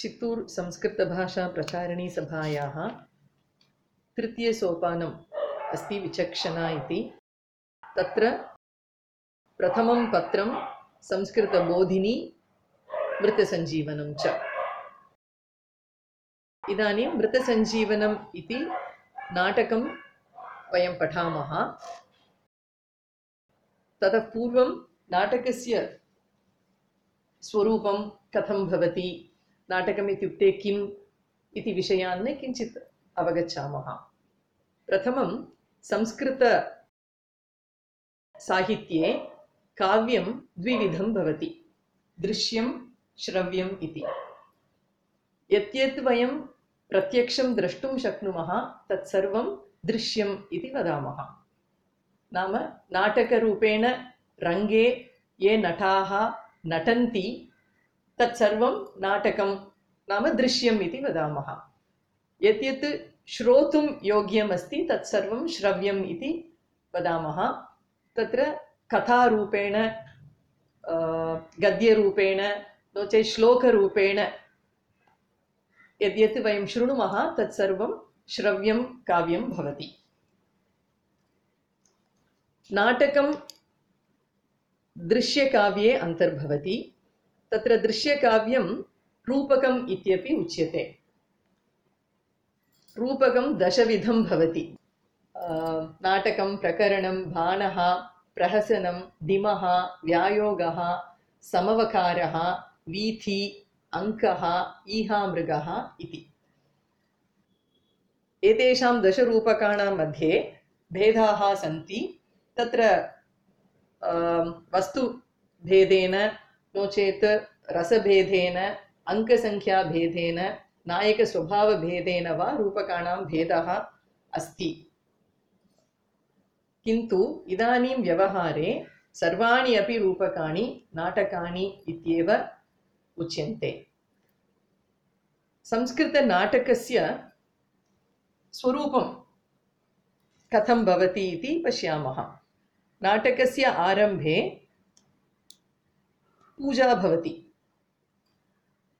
चित्तूर् संस्कृतभाषाप्रचारिणी सभायाः तृतीयसोपानम् अस्ति विचक्षणा इति। तत्र प्रथमं पत्रं संस्कृतबोधिनी मृतसञ्जीवनं च। इदानीं मृतसञ्जीवनम् इति नाटकं वयं पठामः। ततः पूर्वं नाटकस्य स्वरूपं कथं भवति, नाटकम् इत्युक्ते किम् इति विषयान् किञ्चित् अवगच्छामः। प्रथमं संस्कृतसाहित्ये काव्यं द्विविधं भवति, दृश्यं श्रव्यम् इति। यत् वयं प्रत्यक्षं द्रष्टुं शक्नुमः तत्सर्वं दृश्यम् इति वदामः। नाम नाटकरूपेण रङ्गे ये नटाः नटन्ति तत्सर्वं नाटकं नाम दृश्यम् इति वदामः। यत् श्रोतुं योग्यमस्ति तत्सर्वं श्रव्यम् इति वदामः। तत्र कथारूपेण गद्यरूपेण नो चेत् श्लोकरूपेण यद्यत् वयं शृणुमः तत्सर्वं श्रव्यं काव्यं भवति। नाटकं दृश्यकाव्ये अन्तर्भवति। तत्र दृश्यकाव्यं रूपकम् इत्यपि उच्यते। रूपकं दशविधं भवति। नाटकं, प्रकरणं, बाणः, प्रहसनं, दिमः, व्यायोगः, समवकारः, वीथि, अङ्कः, ईहामृगः इति। एतेषां दशरूपकाणां मध्ये भेदाः सन्ति। तत्र वस्तुभेदेन नो चेत् रसभेदेन, अङ्कसङ्ख्याभेदेन, नायकस्वभावभेदेन वा रूपकाणां भेदः अस्ति। किन्तु इदानीं व्यवहारे सर्वाणि अपि रूपकाणि नाटकानि इत्येव उच्यन्ते। संस्कृतनाटकस्य स्वरूपं कथं भवति इति पश्यामः। नाटकस्य आरम्भे पूजा भवति।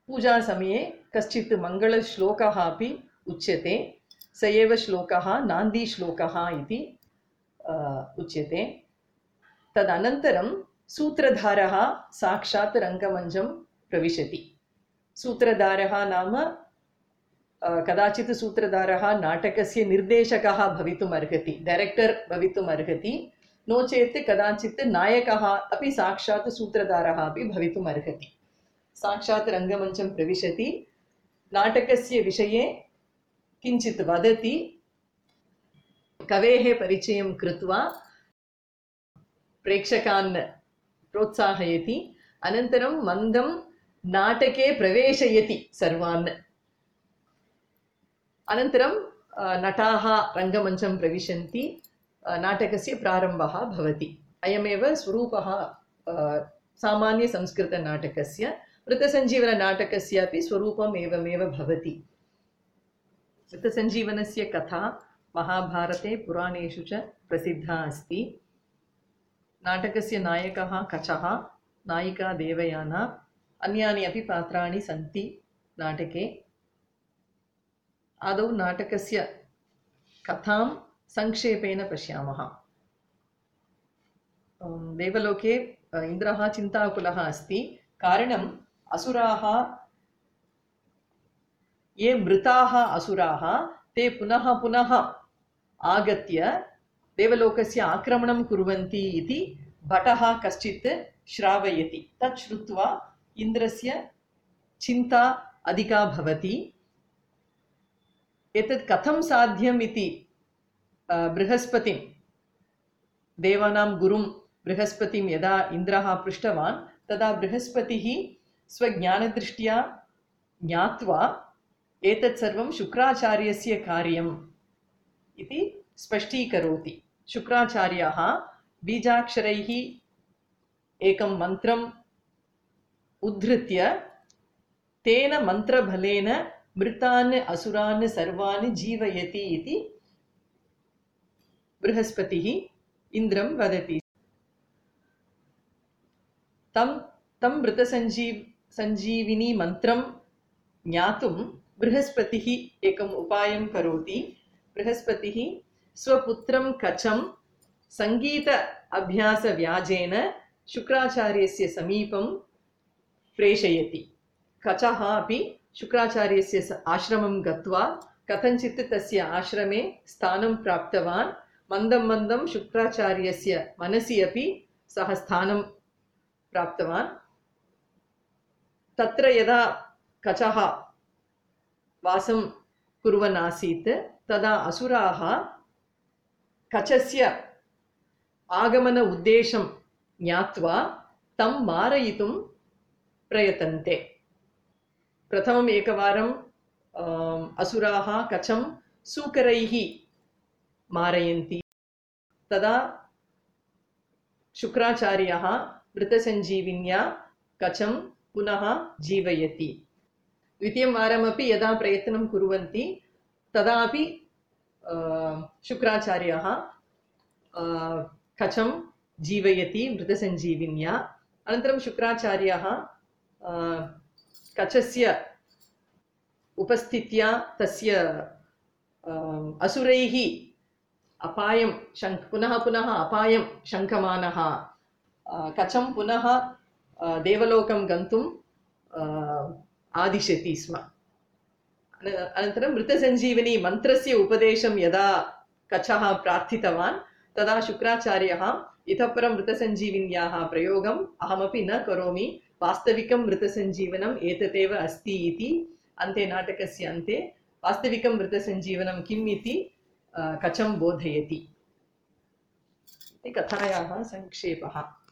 पूजासमये कश्चित् मङ्गलश्लोकः अपि उच्यते। स एव श्लोकः नान्दीश्लोकः इति उच्यते। तदनन्तरं सूत्रधारः साक्षात् रङ्गमञ्चं प्रविशति। सूत्रधारः नाम कदाचित् सूत्रधारः नाटकस्य निर्देशकः भवितुम् अर्हति, डैरेक्टर् भवितुम् अर्हति। नो चेत् कदाचित् नायकः अपि साक्षात् सूत्रधारः अपि भवितुम् अर्हति। साक्षात् रङ्गमञ्चं प्रविशति, नाटकस्य विषये किञ्चित् वदति, कवेः परिचयं कृत्वा प्रेक्षकान् प्रोत्साहयति। अनन्तरं मन्दं नाटके प्रवेशयति सर्वान्। अनन्तरं नटाः रङ्गमञ्चं प्रविशन्ति, नाटकस्य प्रारम्भः भवति। अयमेव स्वरूपः सामान्यसंस्कृतनाटकस्य। मृतसञ्जीवननाटकस्यापि स्वरूपम् एवमेव भवति। मृतसञ्जीवनस्य कथा महाभारते पुराणेषु च प्रसिद्धा अस्ति। नाटकस्य नायकः कचः, नायिका देवयाना, अन्यानि अपि पात्राणि सन्ति नाटके। आदौ नाटकस्य कथां संक्षेपेण पश्यामः। देवलोके इन्द्रः चिन्ताकुलः अस्ति। कारणम् असुराः, ये मृताः असुराः ते पुनः पुनः आगत्य देवलोकस्य आक्रमणं कुर्वन्ति इति भटः कश्चित् श्रावयति। तत् श्रुत्वा इन्द्रस्य चिन्ता अधिका भवति। एतत् कथं साध्यम् इति बृहस्पतिं, देवानां गुरुं बृहस्पतिं यदा इन्द्रः पृष्टवान् तदा बृहस्पतिः स्वज्ञानदृष्ट्या ज्ञात्वा एतत् सर्वं शुक्राचार्यस्य कार्यम् इति स्पष्टीकरोति। शुक्राचार्यः बीजाक्षरैः एकं मन्त्रम् उद्धृत्य तेन मन्त्रबलेन मृतान् असुरान् सर्वान् जीवयति इति बृहस्पतिः इन्द्रं वदति। तं मृतसञ्जीविनी मन्त्रं ज्ञातुं बृहस्पतिः एकम् उपायं करोति। बृहस्पतिः स्वपुत्रं कचं सङ्गीत अभ्यासव्याजेन शुक्राचार्यस्य समीपं प्रेषयति। कचः अपि शुक्राचार्यस्य आश्रमं गत्वा कथञ्चित् तस्य आश्रमे स्थानं प्राप्तवान्। मन्दं मन्दं शुक्राचार्यस्य मनसि अपि सः स्थानं प्राप्तवान्। तत्र यदा कचः वासं कुर्वन् आसीत् तदा असुराः कचस्य आगमन उद्देशं ज्ञात्वा तं मारयितुं प्रयतन्ते। प्रथमम् एकवारं असुराः कचं सूकरैः मारयन्ति। तदा शुक्राचार्यः मृतसञ्जीविन्या कचं पुनः जीवयति। द्वितीयं वारमपि यदा प्रयत्नं कुर्वन्ति तदापि शुक्राचार्यः कचं जीवयति मृतसञ्जीविन्या। अनन्तरं शुक्राचार्यः कचस्य उपस्थित्या तस्य असुरैः अपायं पुनः पुनः अपायं शङ्कमानः कचं पुनः देवलोकं गन्तुं आदिशति स्म। अनन्तरं मृतसञ्जीवनी मन्त्रस्य उपदेशं यदा कचः प्रार्थितवान् तदा शुक्राचार्यः इतः परं मृतसञ्जीविन्याः प्रयोगम् अहमपि न करोमि, वास्तविकं मृतसञ्जीवनम् एतदेव अस्ति इति अन्ते नाटकस्य अन्ते वास्तविकं मृतसञ्जीवनं किम् इति कचं बोधयति। कथायाः संक्षेपः।